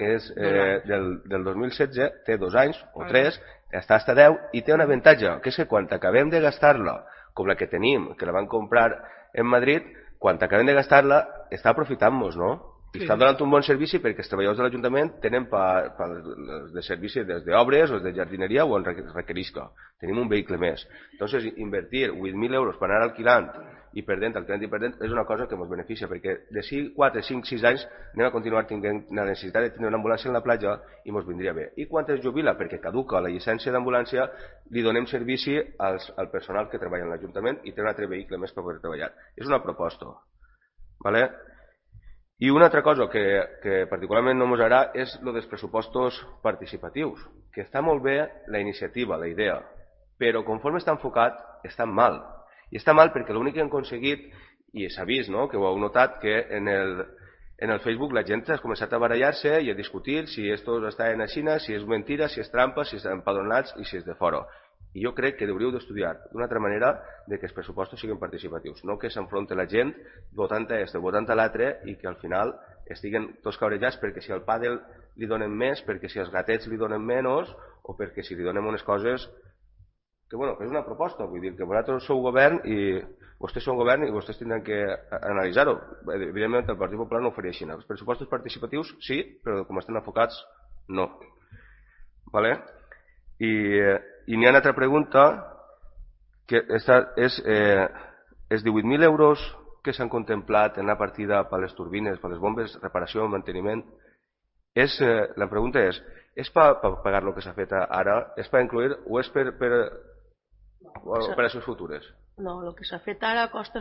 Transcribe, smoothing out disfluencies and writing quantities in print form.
que és del 2016, té 2 anys o 3, està hasta 10 i té un avantatge, que és que quan acabem de gastar-la, com la que tenim, que la van comprar en Madrid, quan acabem de gastar-la, està aprofitant-nos, no? I està donant un bon servici perquè els treballadors de l'Ajuntament tenen de servici des d'obres o de jardineria o en requerisca. Tenim un vehicle més. Entonces, invertir 8.000 euros per anar alquilant i perdent, alquilant i perdent, és una cosa que ens beneficia, perquè de 4, 5, 6 anys anem a continuar tenint la necessitat de tenir una ambulància en la platja i ens vindria bé. I quan es jubila, perquè caduca la llicència d'ambulància, li donem servici al personal que treballa en l'Ajuntament i té un altre vehicle més per poder treballar. És una proposta. ¿Vale? I una altra cosa que particularment no ens agrada és el dels pressupostos participatius, que està molt bé la iniciativa, la idea, però conforme està enfocat, està mal. I està mal perquè l'únic que han aconseguit, i s'ha vist, no?, que ho heu notat, que en el Facebook la gent ha començat a barallar-se i a discutir si esto està en la Xina, si és mentira, si és trampa, si estan empadronats i si és de fora. I jo crec que hauríeu d'estudiar d'una altra manera de que els pressupostos siguin participatius, no que s'enfronti la gent votant a este, votant a l'altre i que al final estiguen tots cabrejats perquè si al pàdel li donen més, perquè si als gatets li donen menys o perquè si li donem unes coses que, bueno, que és una proposta, vull dir que vosaltres sou govern i vostès són govern i vostès tindran que analitzar-ho. Evidentment el Partit Popular no ho faria així. Els pressupostos participatius sí, però com estan enfocats no. Vale? I n'hi ha una altra pregunta que és 18.000 euros que s'han contemplat en la partida per les turbines, per les bombes, reparació, manteniment. La pregunta és per pagar el que s'ha fet ara? És per incluir o és per operacions futures? No, el que s'ha fet ara costa